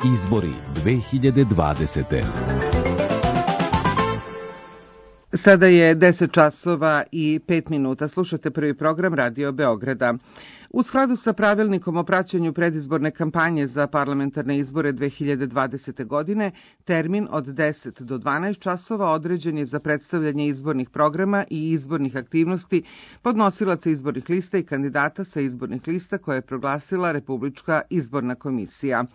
Izbori 2020. Sada je 10 časova i 5 minuta. Slušate prvi program Radio Beograda. U skladu sa pravilnikom o praćenju predizborne kampanje za parlamentarne izbore 2020. godine, termin od 10 do 12 časova određen je za predstavljanje izbornih programa i izbornih aktivnosti podnosilaca izbornih lista i kandidata sa izbornih lista koje je proglasila Republička izborna komisija.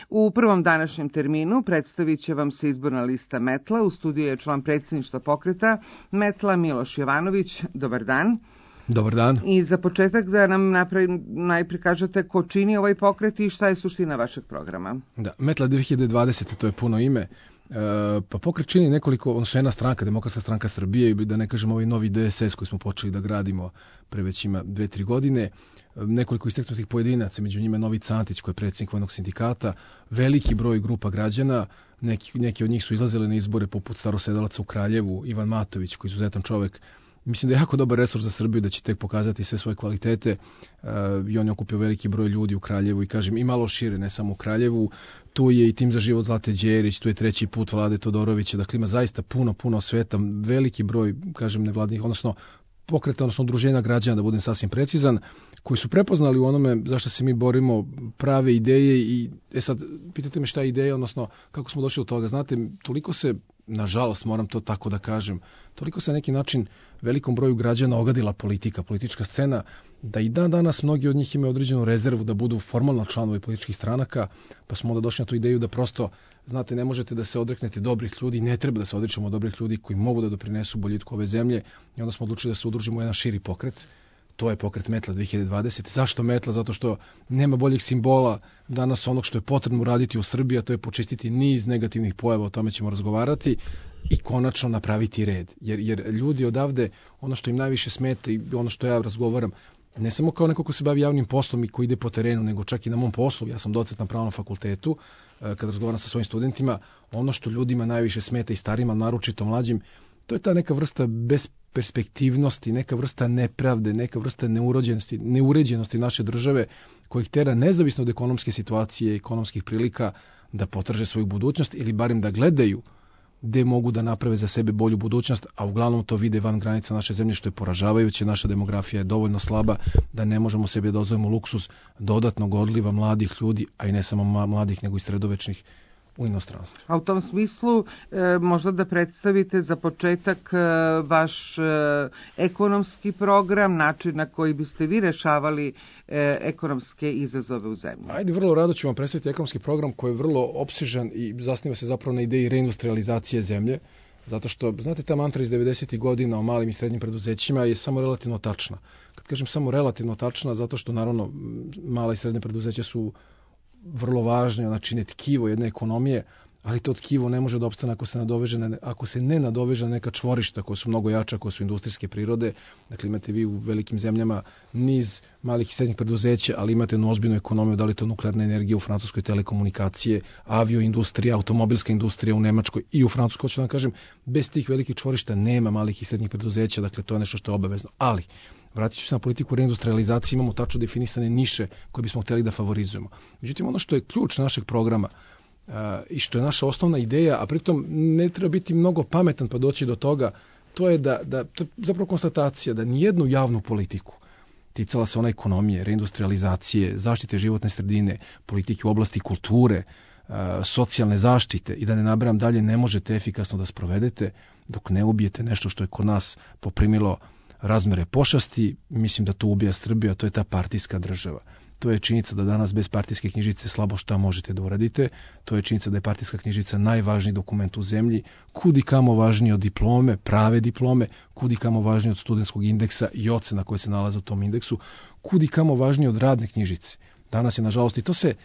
U prvom današnjem terminu predstavit će vam se izborna lista Metla. U studiju je član predsjedništva pokreta Metla Miloš Jovanović. Dobar dan. Dobar dan. I za početak da nam najprije kažete ko čini ovaj pokret i šta je suština vašeg programa. Da, Metla 2020, to je puno ime. Pa pokret čini nekoliko, odnosno jedna stranka, Demokratska stranka Srbije i da ne kažem ovaj novi DSS koji smo počeli da gradimo pre već ima 2-3 godine. Nekoliko istaknutih pojedinaca, među njima Novica Antić koji je predsjednik vojnog sindikata, veliki broj grupa građana, neki od njih su izlazili na izbore poput starosedalaca u Kraljevu, Ivan Matović koji je izuzetan čovjek. Mislim da je jako dobar resurs za Srbiju, da će tek pokazati sve svoje kvalitete i on je okupio veliki broj ljudi u Kraljevu i kažem i malo šire, ne samo u Kraljevu. Tu je i tim za život Zlate Đerić, tu je treći put Vlade Todorovića, dakle ima zaista puno sveta, veliki broj, kažem, nevladnih, odnosno pokreta, odnosno udruženja građana, da budem sasvim precizan, koji su prepoznali u onome zašto se mi borimo prave ideje i sad pitate me šta je ideja, odnosno kako smo došli do toga. Znate, toliko se, nažalost moram to tako da kažem, toliko se na neki način velikom broju građana ogadila politička scena, da i dan danas mnogi od njih imaju određenu rezervu da budu formalno članovi političkih stranaka, pa smo onda došli na tu ideju da prosto, znate, ne možete da se odreknete dobrih ljudi, ne treba da se odričemo dobrih ljudi koji mogu da doprinesu boljitku ove zemlje i onda smo odlučili da se udružimo u jedan širi pokret. To je pokret Metla 2020. Zašto Metla? Zato što nema boljih simbola danas onog što je potrebno uraditi u Srbiji, a to je počistiti niz negativnih pojava, o tome ćemo razgovarati i konačno napraviti red. Jer ljudi odavde, ono što im najviše smeta i ono što ja razgovaram, ne samo kao neko ko se bavi javnim poslom i ko ide po terenu, nego čak i na mom poslu, ja sam docent na pravnom fakultetu, kada razgovaram sa svojim studentima, ono što ljudima najviše smeta i starima, naročito mlađim, to je ta neka vrsta besperspektivnosti, neka vrsta nepravde, neka vrsta neuređenosti naše države koja ih tera nezavisno od ekonomske situacije, ekonomskih prilika da potraže svoju budućnost ili barem da gledaju gde mogu da naprave za sebe bolju budućnost, a uglavnom to vide van granica naše zemlje, što je poražavajuće. Naša demografija je dovoljno slaba da ne možemo sebi da dozvolimo luksuz dodatnog odliva mladih ljudi, a i ne samo mladih nego i sredovečnih u inostranstvu. A u tom smislu možda da predstavite za početak vaš ekonomski program, način na koji biste vi rešavali ekonomske izazove u zemlji. Ajde, vrlo rado ću vam predstaviti ekonomski program koji je vrlo opsežan i zasniva se zapravo na ideji reindustrializacije zemlje, zato što, znate, ta mantra iz 90. godina o malim i srednjim preduzećima je samo relativno tačna. Kad kažem samo relativno tačna, zato što naravno mala i srednje preduzeća su vrlo važno, znači ne tkivo jedne ekonomije, ali to tkivo ne može da opstane ako se ne nadoveže na neka čvorišta koja su mnogo jača, koja su industrijske prirode. Dakle, imate vi u velikim zemljama niz malih i srednjih preduzeća, ali imate jednu ozbiljnu ekonomiju, da li to nuklearna energija u Francuskoj, telekomunikacije, avioindustrija, automobilska industrija u Nemačkoj i u Francuskoj, hoću da vam kažem, bez tih velikih čvorišta nema malih i srednjih preduzeća, dakle to je nešto što je obavezno. Ali vratit ću se na politiku reindustrializacije, imamo tačno definisane niše koje bismo htjeli da favorizujemo. Međutim, ono što je ključ našeg programa i što je naša osnovna ideja, a pritom ne treba biti mnogo pametan pa doći do toga, to je da to je zapravo konstatacija da nijednu javnu politiku, ticala se ona ekonomije, reindustrializacije, zaštite životne sredine, politike u oblasti kulture, socijalne zaštite i da ne nabrajam dalje, ne možete efikasno da sprovedete dok ne ubijete nešto što je kod nas poprimilo razmere pošasti. Mislim da to ubija Srbiju, to je ta partijska država. To je činjenica da danas bez partijske knjižice slabo šta možete da uradite. To je činjenica da je partijska knjižica najvažniji dokument u zemlji, kudi kamo važniji od diplome, prave diplome, kudi kamo važniji od studentskog indeksa i ocena koje se nalaze u tom indeksu, kudi kamo važniji od radne knjižice. Danas je, nažalost, i to se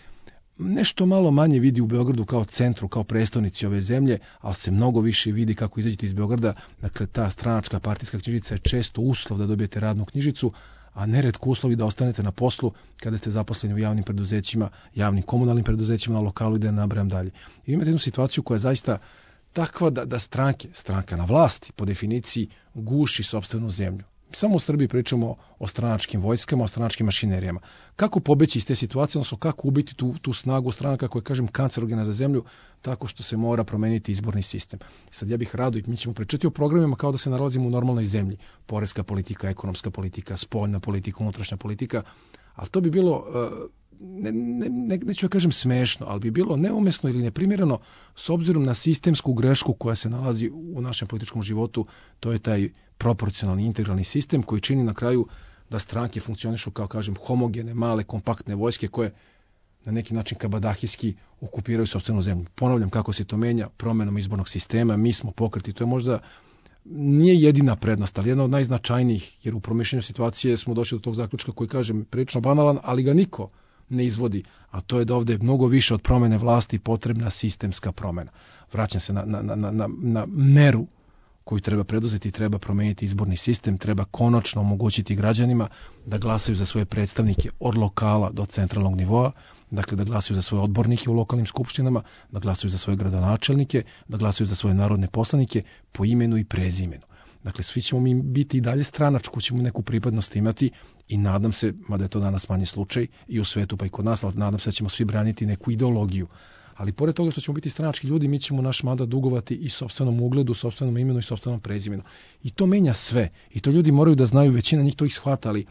nešto malo manje vidi u Beogradu kao centru, kao prestonici ove zemlje, ali se mnogo više vidi kako izađete iz Beograda. Dakle, ta stranačka partijska knjižica je često uslov da dobijete radnu knjižicu, a neretko uslovi da ostanete na poslu kada ste zaposleni u javnim preduzećima, javnim komunalnim preduzećima na lokalu i da ne nabrajam dalje. I imate jednu situaciju koja je zaista takva da stranka na vlasti po definiciji guši sopstvenu zemlju. Samo u Srbiji pričamo o stranačkim vojskama, o stranačkim mašinerijama. Kako pobeći iz te situacije, odnosno kako ubiti tu snagu stranaka koja je, kažem, kancerogena za zemlju, tako što se mora promeniti izborni sistem. Sad ja bih rado, i mi ćemo pričati o programima kao da se nalazimo u normalnoj zemlji. Poreska politika, ekonomska politika, spoljna politika, unutrašnja politika, ali to bi bilo, neću da kažem smešno, ali bi bilo neumesno ili neprimjereno s obzirom na sistemsku grešku koja se nalazi u našem političkom životu. To je taj proporcionalni integralni sistem koji čini na kraju da stranke funkcionišu kao, kažem, homogene, male, kompaktne vojske koje na neki način kabadahijski okupiraju sopstvenu zemlju. Ponavljam kako se to menja promjenom izbornog sistema. Mi smo pokreti, to je možda nije jedina prednost, ali jedna od najznačajnijih, jer u promišljanju situacije smo došli do tog zaključka koji, kažem, prilično banalan, ali ga niko ne izvodi, a to je da ovdje mnogo više od promjene vlasti potrebna sistemska promjena. Vraćam se na meru koju treba preduzeti, treba promijeniti izborni sistem, treba konačno omogućiti građanima da glasaju za svoje predstavnike od lokala do centralnog nivoa, dakle da glasaju za svoje odbornike u lokalnim skupštinama, da glasaju za svoje gradonačelnike, da glasaju za svoje narodne poslanike po imenu i prezimenu. Dakle, svi ćemo mi biti i dalje stranačku, ćemo neku pripadnost imati i nadam se, mada je to danas manji slučaj i u svetu pa i kod nas, ali nadam se da ćemo svi braniti neku ideologiju. Ali pored toga što ćemo biti stranački ljudi, mi ćemo naš mandat dugovati i sopstvenom ugledu, sopstvenom imenu i sopstvenom prezimenu. I to menja sve. I to ljudi moraju da znaju, većina njih to ih shvata, ali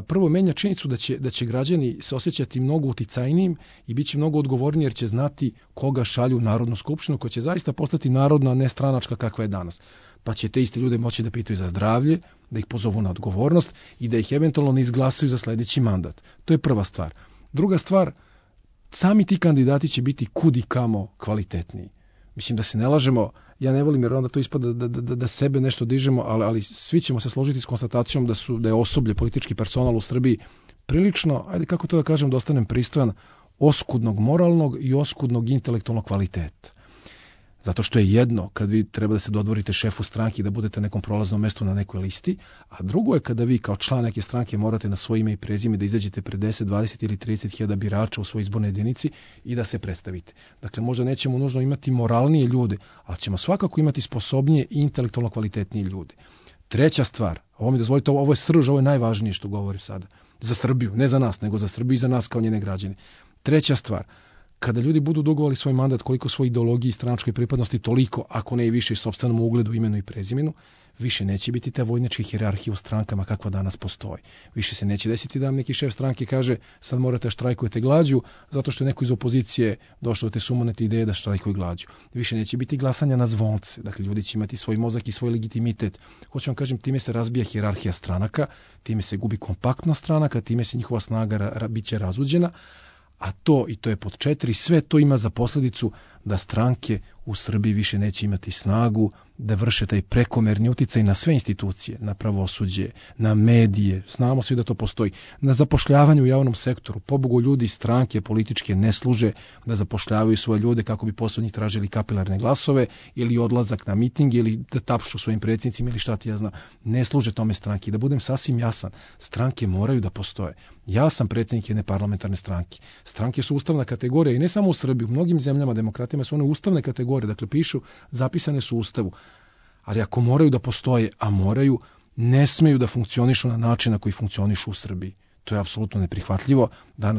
prvo menja činjenicu da će građani se osjećati mnogo uticajnijim i bit će mnogo odgovorniji jer će znati koga šalju u Narodnu skupštinu, koja će zaista postati narodna, a ne stranačka kakva je danas. Pa će te iste ljude moći da pitaju za zdravlje, da ih pozovu na odgovornost i da ih eventualno ne izglasaju za sljedeći mandat. To je prva stvar. Druga stvar, sami ti kandidati će biti kud i kamo kvalitetniji. Mislim da se ne lažemo, ja ne volim jer onda to ispada da sebe nešto dižemo, ali svi ćemo se složiti s konstatacijom da je osoblje, politički personal u Srbiji prilično, ajde kako to da kažem, da ostanem pristojan, oskudnog moralnog i oskudnog intelektualnog kvaliteta. Zato što je jedno kad vi treba da se dodvorite šefu stranke i da budete na nekom prolaznom mestu na nekoj listi, a drugo je kada vi kao član neke stranke morate na svoje ime i prezime da izađete pred 10, 20 ili 30 hiljada birača u svojoj izbornoj jedinici i da se predstavite. Dakle, možda nećemo nužno imati moralnije ljude, ali ćemo svakako imati sposobnije i intelektualno kvalitetnije ljude. Treća stvar, ovo mi dozvolite, ovo je srž, ovo je najvažnije što govorim sada. Za Srbiju, ne za nas, nego za Srbiju i za nas kao njene građane. Treća stvar, kada ljudi budu dugovali svoj mandat koliko svoje ideologije i stranačkoj pripadnosti, toliko, ako ne i više, sopstvenom ugledu, imenu i prezimenu, više neće biti te vojničke hijerarhije u strankama kakva danas postoji. Više se neće desiti da vam neki šef stranke kaže sad morate štrajkujete glađu zato što je neko iz opozicije došao do te sumonete ideje da štrajkuju glađu. Više neće biti glasanja na zvonce. Dakle, ljudi će imati svoj mozak i svoj legitimitet. Hoću vam kažem, time se razbija hijerarhija stranaka, time se gubi kompaktnost stranaka, time se njihova snaga bit će razuđena. A to, i to je pod 4, sve to ima za posljedicu da stranke u Srbiji više neće imati snagu da vrše taj prekomerni uticaj na sve institucije, na pravosuđe, na medije, znamo svi da to postoji, na zapošljavanje u javnom sektoru. Pobogu, ljudi stranke političke ne služe da zapošljavaju svoje ljude kako bi posle njih tražili kapilarne glasove ili odlazak na miting ili da tapšu svojim predsjednicima ili šta ti ja znam. Ne služe tome stranke. Da budem sasvim jasan, stranke moraju da postoje. Ja sam predsjednik jedne parlamentarne stranke. Stranke su ustavna kategorija i ne samo u Srbiji, u mnogim zemljama, demokratijama su one ustavne kategorije, dakle pišu, zapisane su u Ustavu. Ali ako moraju da postoje, a moraju, ne smeju da funkcionišu na način na koji funkcionišu u Srbiji. To je apsolutno neprihvatljivo.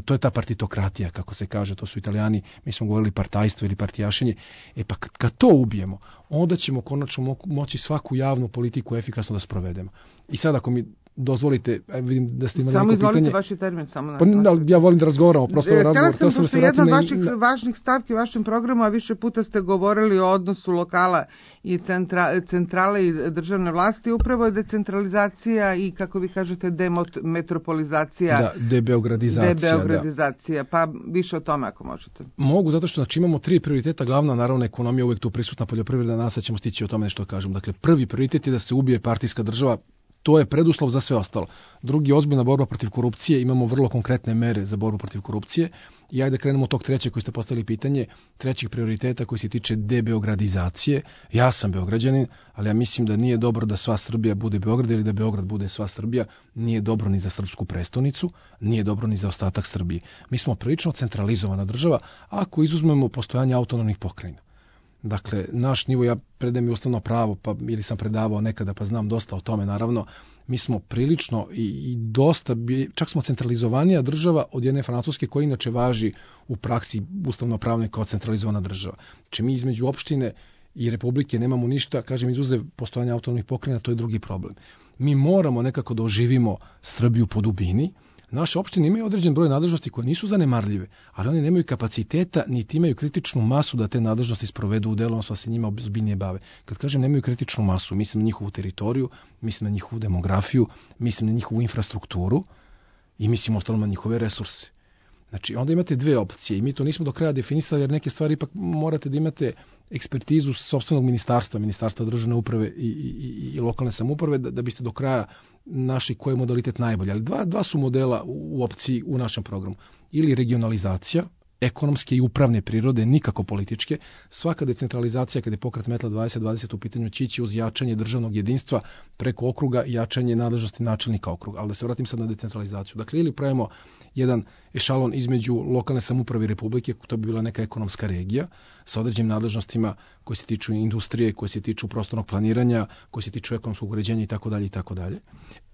To je ta partitokratija, kako se kaže, to su Italijani, mi smo govorili partajstvo ili partijašenje. Pa kad to ubijemo, onda ćemo konačno moći svaku javnu politiku efikasno da sprovedemo. I sad ako mi dozvolite, vidim da ste imali neko pitanje. Samo izvolite vaši termin. Ja volim da razgovaramo, prosto razgovor. Htjela sam, što jedna od vaših važnih stavki u vašem programu, a više puta ste govorili o odnosu lokala i centrale i državne vlasti, upravo je decentralizacija i, kako vi kažete, demetropolizacija. Da, debeogradizacija. Pa više o tome ako možete. Mogu, zato što imamo 3 prioriteta. Glavna, naravno, ekonomija, uvijek tu prisutna poljoprivreda, nas ćemo stići o tome nešto kažem. Dakle, prvi prioritet je da se ubije partijska država. To je preduslov za sve ostalo. Drugi, ozbiljna borba protiv korupcije. Imamo vrlo konkretne mere za borbu protiv korupcije. I ajde krenemo od tog trećeg koji ste postavili pitanje, trećeg prioriteta koji se tiče debeogradizacije. Ja sam Beograđanin, ali ja mislim da nije dobro da sva Srbija bude Beograd ili da Beograd bude sva Srbija. Nije dobro ni za srpsku prestonicu, nije dobro ni za ostatak Srbije. Mi smo prilično centralizovana država ako izuzmemo postojanje autonomnih pokrajina. Dakle, naš nivo, ja predajem i ustavno pravo, pa ili sam predavao nekada, pa znam dosta o tome, naravno, mi smo prilično i dosta, čak smo centralizovanija država od jedne Francuske koja inače važi u praksi ustavno pravne kao centralizovana država. Znači mi između opštine i republike nemamo ništa, kažem, izuzev postojanja autonomnih pokrajina, to je drugi problem. Mi moramo nekako da oživimo Srbiju po dubini. Naše opštine imaju određen broj nadležnosti koje nisu zanemarljive, ali oni nemaju kapaciteta, niti imaju kritičnu masu da te nadležnosti sprovedu u delu, odnosno da se njima ozbiljnije bave. Kad kažem nemaju kritičnu masu, mislim na njihovu teritoriju, mislim na njihovu demografiju, mislim na njihovu infrastrukturu i mislim ostalo na njihove resurse. Znači, onda imate dve opcije i mi to nismo do kraja definisali, jer neke stvari ipak morate da imate ekspertizu sopstvenog ministarstva državne uprave i lokalne samouprave da biste do kraja našli koji je modalitet najbolji. Ali dva su modela u opciji u našem programu. Ili regionalizacija, ekonomske i upravne prirode, nikako političke. Svaka decentralizacija, kada je pokret Metla 2020 u pitanju, će ići uz jačanje državnog jedinstva preko okruga i jačanje nadležnosti načelnika okruga. Ali da se vratim sad na decentralizaciju. Dakle, ili pravimo jedan ešalon između lokalne samouprave i republike, to bi bila neka ekonomska regija sa određenim nadležnostima koje se tiču industrije, koje se tiču prostornog planiranja, koje se tiču ekonomskog uređenja itd.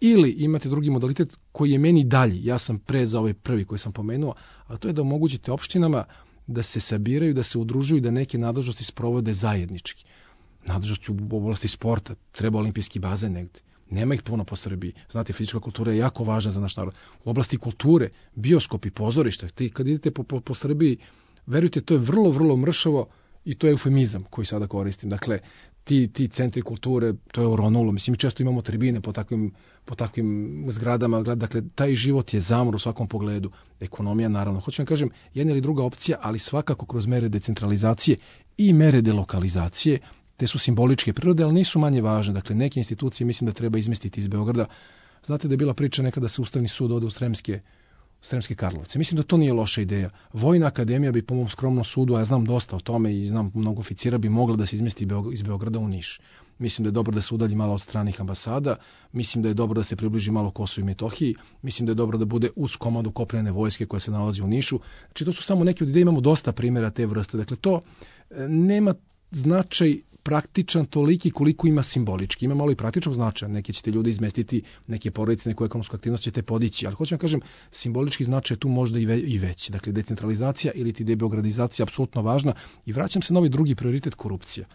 Ili imate drugi modalitet koji je meni dalji. Ja sam pre za ovaj prvi koji sam pomenuo, a to je da omogućite opštinama da se sabiraju, da se udružuju, da neke nadležnosti sprovode zajednički. Nadležnosti u oblasti sporta, treba olimpijski bazen negde. Nema ih puno po Srbiji. Znate, fizička kultura je jako važna za naš narod. U oblasti kulture, bioskopi, pozorišta, kad idete po Srbiji, verujte, to je vrlo, vrlo mršavo i to je eufemizam koji sada koristim. Dakle, ti centri kulture, to je oronulo. Mislim, mi često imamo tribine po takvim zgradama. Dakle, taj život je zamor u svakom pogledu. Ekonomija, naravno. Hoću vam kažem, jedna ili druga opcija, ali svakako kroz mere decentralizacije i mere delokalizacije. Te su simboličke prirode, ali nisu manje važne. Dakle, neke institucije mislim da treba izmestiti iz Beograda. Znate da je bila priča nekada da se Ustavni sud ode u Sremske Karlovce. Mislim da to nije loša ideja. Vojna akademija bi po mom skromnom sudu, a ja znam dosta o tome i znam mnogo oficira, bi mogla da se izmesti iz Beograda u Niš. Mislim da je dobro da se udalji malo od stranih ambasada, mislim da je dobro da se približi malo Kosovu i Metohiji, mislim da je dobro da bude uz komandu kopnene vojske koja se nalazi u Nišu. Znači, to su samo neki od ideja, imamo dosta primjera te vrste. Dakle, to nema značaj praktičan toliki koliko ima simbolički. Ima malo i praktičnog značaja. Neke ćete ljudi izmestiti, neke porodice, neku ekonomsku aktivnost ćete podići, ali hoću vam kažem, simbolički značaj je tu možda i veći. Dakle, decentralizacija ili ti debeogradizacija je apsolutno važna i vraćam se na ovaj drugi prioritet, korupcija.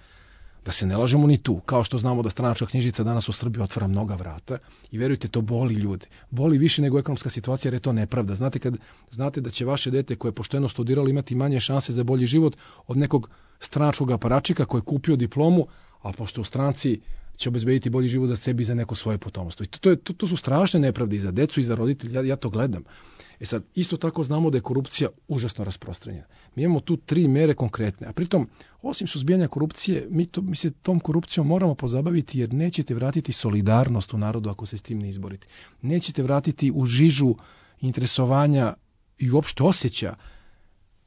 Da se ne lažemo ni tu. Kao što znamo da stranačka knjižica danas u Srbiji otvara mnoga vrata i verujte, to boli ljude. Boli više nego ekonomska situacija jer je to nepravda. Znate da će vaše dete koje je pošteno studiralo imati manje šanse za bolji život od nekog stranačkog aparačika koji je kupio diplomu, a pošto u stranci će obezbediti bolji život za sebi i za neko svoje potomstvo. I to su strašne nepravde i za decu i za roditelja. Ja to gledam. Sad, isto tako znamo da je korupcija užasno rasprostranjena. Mi imamo tu 3 mere konkretne, a pritom, osim suzbijanja korupcije, mi se tom korupcijom moramo pozabaviti jer nećete vratiti solidarnost u narodu ako se s tim ne izborite. Nećete vratiti u žižu interesovanja i uopšte osjeća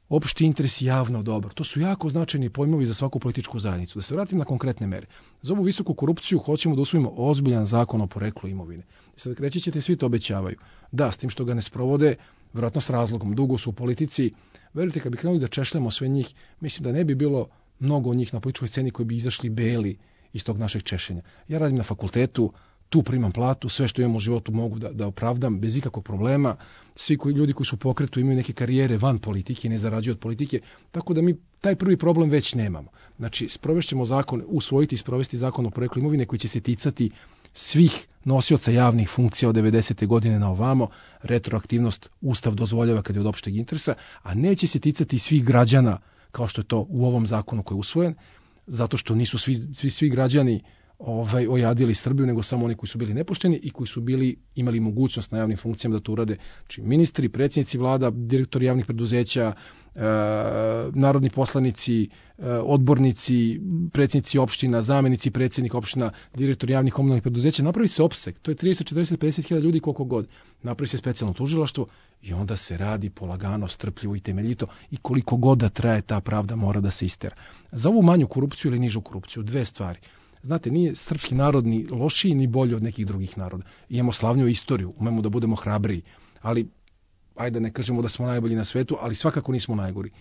opšti interes i javno dobro. To su jako značajni pojmovi za svaku političku zajednicu. Da se vratim na konkretne mere. Za ovu visoku korupciju hoćemo da usvojimo ozbiljan zakon o poreklu imovine. Sad reći ćete, svi to obećavaju. Da, s tim što ga ne sprovode, vjerojatno s razlogom, dugo su u politici. Verujte, kad bi krenuli da češljamo sve njih, mislim da ne bi bilo mnogo njih na političkoj sceni koji bi izašli beli iz tog našeg češenja. Ja radim na fakultetu, tu primam platu, sve što imam u životu mogu da opravdam bez ikakvog problema. Svi ljudi koji su u pokretu imaju neke karijere van politike i ne zarađuju od politike, tako da mi taj prvi problem već nemamo. Znači, sprovešćemo zakon, usvojiti i sprovesti zakon o poreklu imovine koji će se ticati svih nosioca javnih funkcija od 90. godine na ovamo. Retroaktivnost Ustav dozvoljava kad je od opšteg interesa, a neće se ticati svih građana kao što je to u ovom zakonu koji je usvojen, zato što nisu svi građani ojadili Srbiju, nego samo oni koji su bili nepošteni i koji su imali mogućnost na javnim funkcijama da to urade. Znači, ministri, predsjednici vlada, direktori javnih preduzeća, narodni poslanici, odbornici, predsjednici opština, zamenici predsjednika opština, direktori javnih komunalnih preduzeća, napravi se opseg. To je 30, 40, 50 hiljada ljudi koliko god. Napravi se specijalno tužilaštvo i onda se radi polagano, strpljivo i temeljito i koliko god da traje ta pravda mora da se istera. Za ovu manju korupciju ili nižu korupciju, 2 stvari. Znate, nije srpski narod ni lošiji ni bolji od nekih drugih naroda. Imamo slavniju istoriju, umemo da budemo hrabriji, ali ajde ne kažemo da smo najbolji na svetu, ali svakako nismo najgori.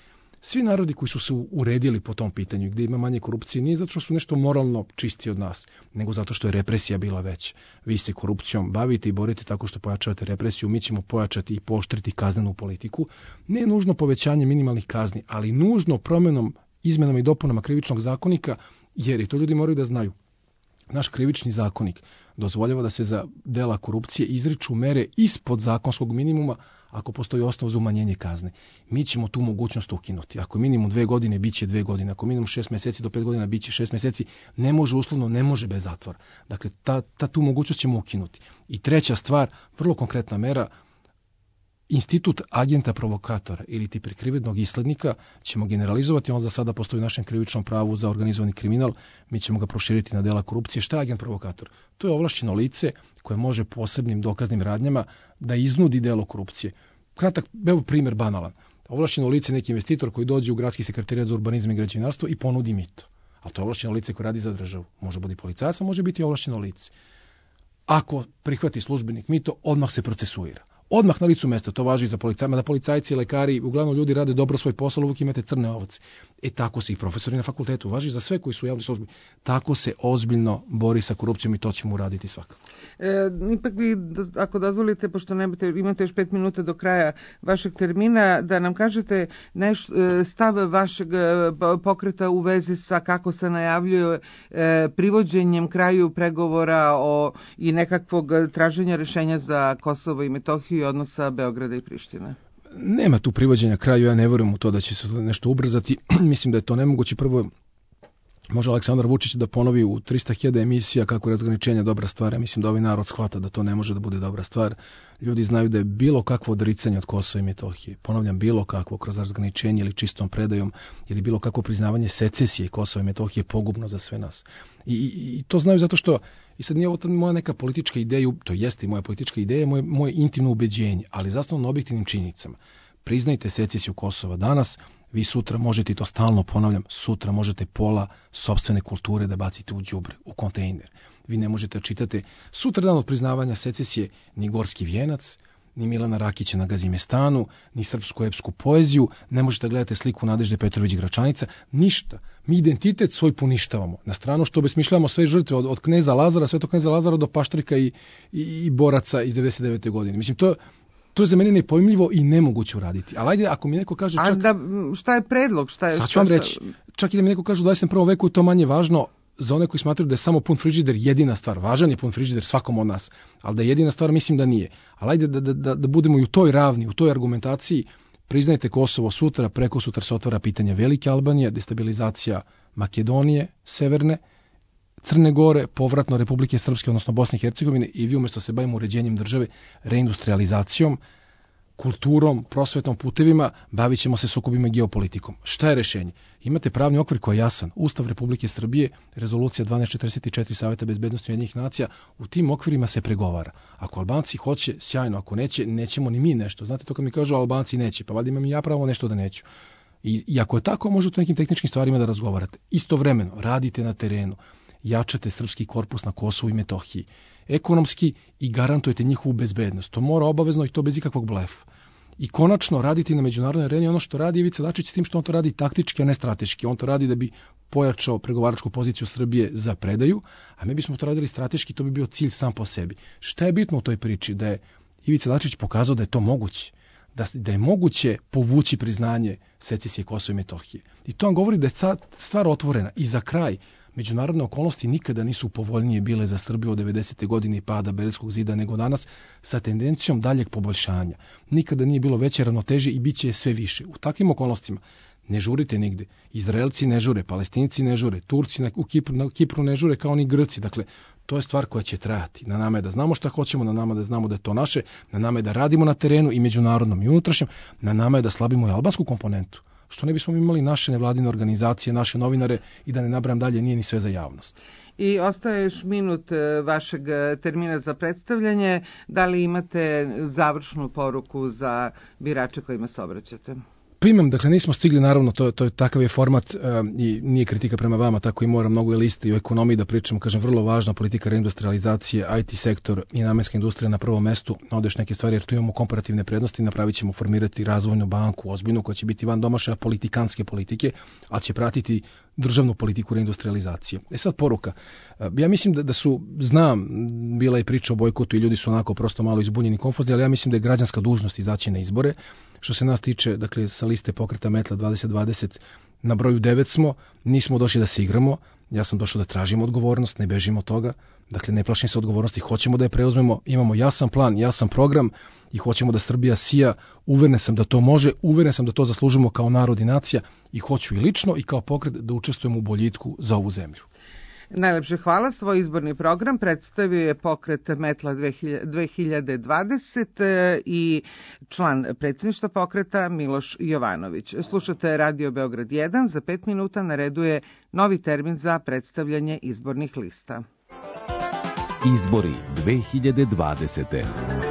Svi narodi koji su se uredili po tom pitanju, gdje ima manje korupcije, nije zato što su nešto moralno čisti od nas, nego zato što je represija bila veća. Vi se korupcijom bavite i borite tako što pojačavate represiju, mi ćemo pojačati i pooštriti kaznenu politiku. Ne nužno povećanje minimalnih kazni, ali nužno promjenom, izmenama i dopunama krivičnog zakonika, jer i to ljudi moraju da znaju. Naš krivični zakonik dozvoljava da se za dela korupcije izriču mere ispod zakonskog minimuma ako postoji osnov za umanjenje kazne. Mi ćemo tu mogućnost ukinuti. Ako je minimum 2 godine, bit će 2 godine. Ako je minimum 6 mjeseci do 5 godina, bit će 6 mjeseci. Ne može uslovno, ne može bez zatvora. Dakle, tu mogućnost ćemo ukinuti. I treća stvar, vrlo konkretna mera, institut agenta provokatora ili ti prikrivenog islednika ćemo generalizovati, on za sada postoji u našem krivičnom pravu za organizovani kriminal, mi ćemo ga proširiti na dela korupcije. Šta je agent provokator? To je ovlašćeno lice koje može posebnim dokaznim radnjama da iznudi delo korupcije. Kratak, evo primjer banalan. Ovlašćeno lice je neki investitor koji dođe u gradski sekretarijat za urbanizam i građevinarstvo i ponudi mito. A to je ovlašćeno lice koje radi za državu. Može biti policajac, a može biti ovlašćeno lice. Ako prihvati službenik mito, odmah se procesuira. Odmah na licu mesta, to važi i za policajce, da policajci i lekari, uglavnom ljudi rade dobro svoj posao, uvijek imate crne ovce. Tako se i profesori na fakultetu, važi za sve koji su u javnoj službi. Tako se ozbiljno bori sa korupcijom i to ćemo uraditi svakako. Ipak vi, ako dozvolite, pošto imate još 5 minuta do kraja vašeg termina, da nam kažete stav vašeg pokreta u vezi sa kako se najavljuje privođenjem kraju pregovora i nekakvog traženja rješenja za Kosovo i Metohiju i odnosa Beograda i Prištine. Nema tu privođenja kraju, ja ne vjerujem u to da će se nešto ubrzati. Mislim da je to nemoguće. Prvo, može Aleksandar Vučić da ponovi u 300.000 emisija kako je razgraničenje dobra stvar. Ja mislim da ovaj narod shvata da to ne može da bude dobra stvar. Ljudi znaju da je bilo kakvo odricanje od Kosova i Metohije, ponavljam, bilo kakvo kroz razgraničenje ili čistom predajom ili bilo kakvo priznavanje secesije Kosova i Metohije pogubno za sve nas. I to znaju zato što, i sad nije ovo moja neka politička ideja, to jeste i moja politička ideja, moje intimno ubeđenje, ali zasnovano na objektivnim činjenicama. Priznajte secesiju Kosova danas, vi sutra možete, i to stalno ponavljam, sutra možete pola sopstvene kulture da bacite u đubre, u kontejner. Vi ne možete čitati sutra dan od priznavanja secesije ni Gorski vijenac, ni Milana Rakića na Gazimestanu, ni srpsku epsku poeziju, ne možete gledati sliku Nadežde Petrović Gračanica, ništa. Mi identitet svoj poništavamo. Na stranu što obesmišljamo sve žrtve od kneza Lazara, svetog kneza Lazara do Paštrika i boraca iz 99. godine. Mislim, to je za mene nepojmljivo i nemoguće uraditi. Ali ajde, ako mi neko kaže šta je predlog? Sad ću vam reći. Čak i da mi neko kaže u 21. veku je to manje važno za one koji smatraju da je samo pun frižider jedina stvar. Važan je pun frižider svakom od nas. Ali da je jedina stvar, mislim da nije. Ali ajde da budemo i u toj ravni, u toj argumentaciji. Priznajte Kosovo sutra, preko sutra se otvara pitanje Velike Albanije, destabilizacija Makedonije, Severne, Crne Gore, povratno Republike Srpske, odnosno Bosne i Hercegovine, i vi umjesto se bavimo uređenjem države, reindustrializacijom, kulturom, prosvetnom, putevima, bavit ćemo se sukobima i geopolitikom. Šta je rješenje? Imate pravni okvir koji je jasan. Ustav Republike Srbije, rezolucija 1244 Saveta bezbednosti Ujedinjenih nacija, u tim okvirima se pregovara. Ako Albanci hoće, sjajno, ako neće, nećemo ni mi nešto. Znate to kad mi kažu Albanci neće, pa valjda imam i ja pravo nešto da neću. I ako je tako, možete o nekim tehničkim stvarima da razgovarate. Istovremeno, radite na terenu, jačate srpski korpus na Kosovu i Metohiji, ekonomski, i garantujete njihovu bezbednost. To mora obavezno i to bez ikakvog blefa. I konačno raditi na međunarodnoj areni ono što radi Ivica Dačić, s tim što on to radi taktički, a ne strateški. On to radi da bi pojačao pregovaračku poziciju Srbije za predaju, a mi bismo to radili strateški, to bi bio cilj sam po sebi. Šta je bitno u toj priči? Da je Ivica Dačić pokazao da je to moguće. Da je moguće povući priznanje secesije Kosova i Metohije. I to vam govori da je stvar otvorena. I za kraj, međunarodne okolnosti nikada nisu povoljnije bile za Srbiju od 90. godine i pada Berlinskog zida nego danas, sa tendencijom daljeg poboljšanja. Nikada nije bilo veće ravnoteže i bit će sve više. U takvim okolnostima ne žurite nigde. Izraelci ne žure, Palestinci ne žure, Turci na Kipru ne žure kao ni Grci. Dakle, to je stvar koja će trajati. Na nama je da znamo šta hoćemo, na nama da znamo da je to naše, na nama je da radimo na terenu i međunarodnom i unutrašnjem, na nama je da slabimo i albansku komponentu. Što ne bismo imali naše nevladine organizacije, naše novinare, i da ne nabrajam dalje, nije ni sve za javnost. I ostaje još minut vašeg termina za predstavljanje. Da li imate završnu poruku za birače kojima se obraćate? Pa imam, dakle nismo stigli, naravno, to je takav je format i nije kritika prema vama, tako i moram mnogo je liste i o ekonomiji da pričamo, kažem, vrlo važna politika reindustrializacije, IT sektor i namenska industrija na prvom mestu, odeš neke stvari jer tu imamo komparativne prednosti, napravit ćemo formirati razvojnu banku ozbiljnu koja će biti van domašaja politikanske politike, ali će pratiti državnu politiku reindustrializacije. Sad poruka. Ja mislim da su, znam, bila je priča o bojkotu i ljudi su onako prosto malo izbunjeni, konfuzni, ali ja mislim da je građanska dužnost izaći na izbore. Što se nas tiče, dakle, sa liste pokreta Metla 2020 na broju 9 smo, nismo došli da se igramo, ja sam došao da tražim odgovornost, ne bežimo od toga, dakle, ne plašim se odgovornosti, hoćemo da je preuzmemo, imamo jasan plan, jasan program i hoćemo da Srbija sija, uveren sam da to može, uveren sam da to zaslužimo kao narod i nacija i hoću i lično i kao pokret da učestvujemo u boljitku za ovu zemlju. Najlepše hvala. Svoj izborni program predstavio je pokret Metla 2020 i član predsjedništva pokreta Miloš Jovanović. Slušate Radio Beograd 1, za 5 minuta na redu je novi termin za predstavljanje izbornih lista. Izbori 2020.